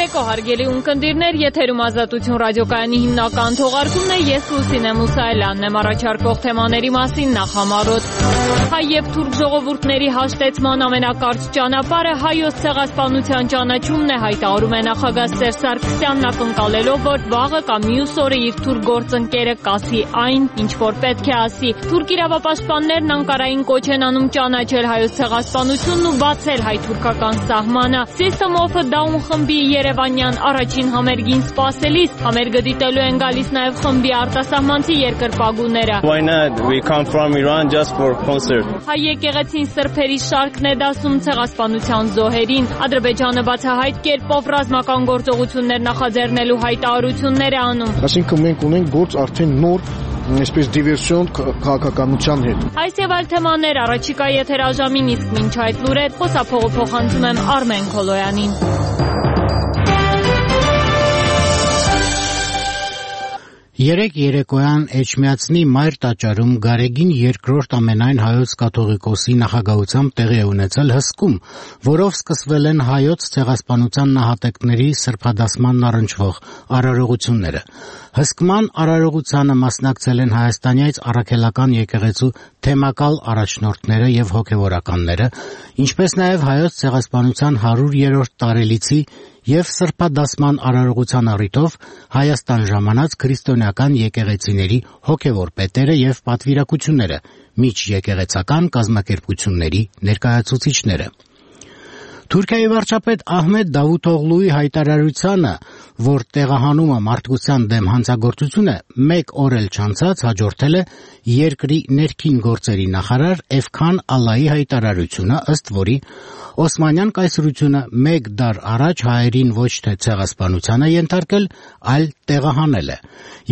Բարեկո հարգելի ունկնդիրներ, եթերում Ազատություն ռադիոկայանի հիմնական թողարկումն է, ես Լուսինե Մուսայելյանն եմ, առաջարկող թեմաների մասին նախամարոտ։ Հայ եւ թուրք ժողովուրդների հաշտեցման ամենակարճ ճանապարհը հայոց ցեղասպանության ճանաչումն է, հայտարարում է նախագահ Սերժ Սարգսյանն, ակնկալելով, որ վաղը կամ մյուս օրը իր թուրք գործընկերը կասի այն, ինչ որ պետք է ասի։ Թուրք իրավապաշտպաններն Անկարային կոչ են անում ճանաչել հայոց ցեղասպանությունն ու բացել հայ-թուրքական սահմանը։ System of a Down խմբի երևանյան առաջին համերգին սպասելիս համերգը դիտելու են գալիս նաև խմբի արտասահմանցի երկրպագուները։ Why not? We come from Iran just for concert. Հայ եկեղեցին սրբերի շարքն է դասում ցեղասպանության զոհերին։ Ադրբեջանը բացահայտ կերպով ռազմական գործողություններ նախաձեռնելու հայտարարություններ է անում։ Այսինքն մենք ունենք գործ արդեն նոր այսպես դիվերսիոն քաղաքականության հետ։ Այս եւ այլ թեմաներ առաջիկա եթերաժամին, իսկ մինչ այդ լուրեր խոսափողը փոխանցում եմ Արմեն Քոլոյանին։ Երեկ երեկոյան Էջմիածնի Մայր տաճարում Գարեգին II ամենայն հայոց կաթողիկոսի նախագահությամբ տեղի է ունեցել հսկում, որով սկսվել են հայոց ցեղասպանության նահատակների սրբադասմանն առնչվող արարողությունները։ Հսկման արարողությանը մասնակցել են հայաստանյաց առաքելական եկեղեցու թեմակալ առաջնորդները եւ հոգեվորականները, ինչպես նաեւ հայոց ցեղասպանության 100-րդ տարելիցի եւ սրբադասման արարողության առիթով Հայաստան ժամանած քրիստոնեական եկեղեցիների հոգեվոր պետերը եւ պատվիրակությունները, միջեկեղեցական կազմակերպությունների ներկայացուցիչները։ Թուրքիայի վարչապետ Ահմեդ Դավութօղլուի հայտարարությանը, որ տեղահանումը մարդկության դեմ հանցագործություն է, մեկ օր էլ չանցած հաջորդել է երկրի ներքին գործերի նախարար Էվքան Ալայի հայտարարությունը, ըստ որի Օսմանյան կայսրությունը մեկ դար առաջ հայերին ոչ թե ցեղասպանության է ենթարկել, այլ տեղահանել է։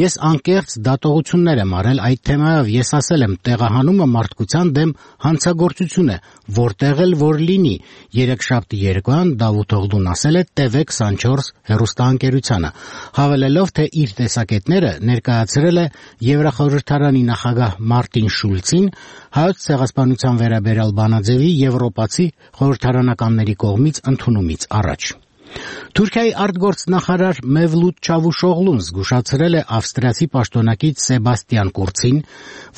Ես անկեղծ դատողություններ եմ արել այդ թեմայով, ես ասել եմ տեղահանումը մարդկության դեմ հանցագործություն է, որտեղ էլ որ լինի, երեքշաբթի երեկոյան Դավութօղլուն ասել է TV24 հեռուստաընկերությանը, հավելելով, թե իր տեսակետները ներկայացրել է Եվրախորհրդարանի նախագահ Մարտին Շուլցին հայոց ցեղասպանության վերաբերյալ բանաձևի եվրոպացի խորհրդարանականների կողմից ընդունումից առաջ։ Թուրքիայի արտգործնախարար Մևլութ Չավուշօղլուն զգուշացրել է ավստրիացի պաշտոնակից Սեբաստիան Կուրցին,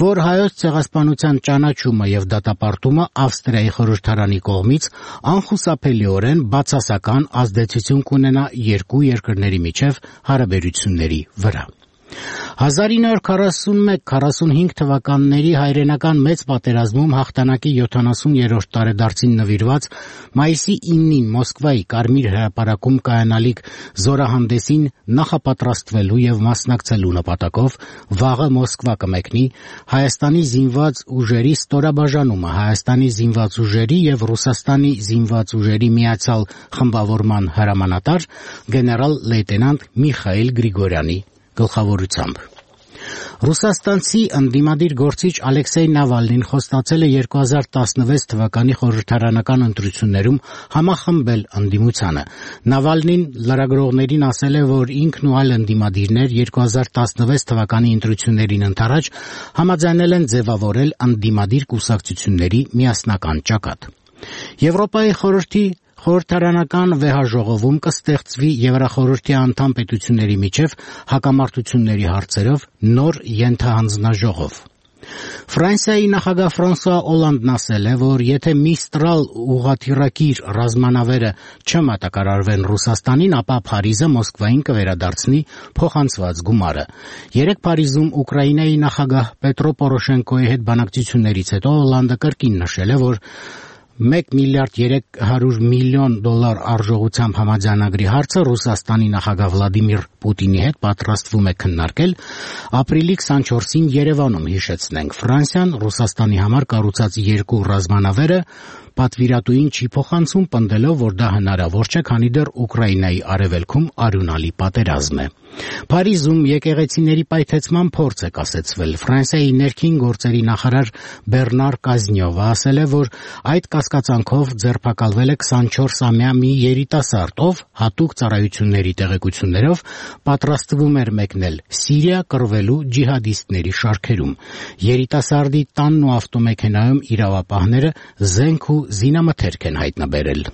որ հայոց ցեղասպանության ճանաչումը եւ դատապարտումը Ավստրիայի խորհրդարանի կողմից անխուսափելիորեն բացասական ազդեցություն կունենա երկու երկրների միջև հարաբերությունների վրա։ 1941-45 թվականների հայրենական մեծ պատերազմում հաղթանակի 70-րդ տարեդարձին նվիրված մայիսի 9-ին Մոսկվայի Կարմիր հրապարակում կայանալիք զորահանդեսին նախապատրաստվելու եւ մասնակցելու նպատակով վաղը Մոսկվա կմեկնի Հայաստանի զինված ուժերի ստորաբաժանումը, Հայաստանի զինված ուժերի եւ Ռուսաստանի զինված ուժերի միացյալ խմբավորման հրամանատար գեներալ լեյտենանտ Միխայիլ Գրիգորյանի գլխավորությամբ։ Ռուսաստանցի ընդդիմադիր գործիչ Ալեքսեյ Նավալնին խոստացել է 2016 թվականի խորհրդարանական ընտրություններում համախմբել ընդդիմությանը։ Նավալնին լրագրողներին ասել է, որ ինքն ու այլ ընդդիմադիրներ 2016 թվականի ընտրություններին ընդառաջ համաձայնել են ձևավորել ընդդիմադիր կուսակցությունների միասնական ճակատ։ Եվրոպայի խորհրդի խորհրդարանական վեհաժողովում կստեղծվի Եվրախորհրդի անդամ պետությունների միջև հակամարտությունների հարցերով նոր ենթահանձնաժողով։ Ֆրանսիայի նախագահ Ֆրանսուଆ Օլանդն ասել է, որ եթե Միստրալ ուղղաթիռակիր ռազմանավերը չմատակարարվեն Ռուսաստանին, ապա Փարիզը Մոսկվային կվերադարձնի փոխանցված գումարը։ Երեկ Փարիզում Ուկրաինայի նախագահ Պետրո Պորոշենկոյի հետ բանակցություններից հետո Օլանդը կրկին նշել է, որ $1 միլիարդ 300 միլիոն արժողությամբ համաձայնագրի հարցը Ռուսաստանի նախագահ Վլադիմիր Պուտինի հետ պատրաստվում է քննարկել ապրիլի 24-ին Երևանում, հիշեցնենք։ Ֆրանսիան Ռուսաստանի համար կառուցած երկու ռազմանավերը պատվիրատուին չի փոխանցում, պնդելով, որ դա հնարավոր չէ, քանի դեռ Ուկրաինայի արևելքում արյունալի պատերազմ է։ Փարիզում եկեղեցիների պայթեցման փորձ է կասեցվել։ Ֆրանսիայի ներքին գործերի նախարար Բեռնար Կազնյովը ասել է, որ այդ կասկածանքով ձերբակալվել է 24-ամյա մի երիտասարդ, ով հատուկ ծառայությունների տեղեկություններով պատրաստվում էր մեկնել Սիրիա կռվելու ջիհադիստների շարքերում։ Երիտասարդի տանն ու ավտոմեքենայում իրավապահները զենք ու զինամթերք են հայտնաբերել։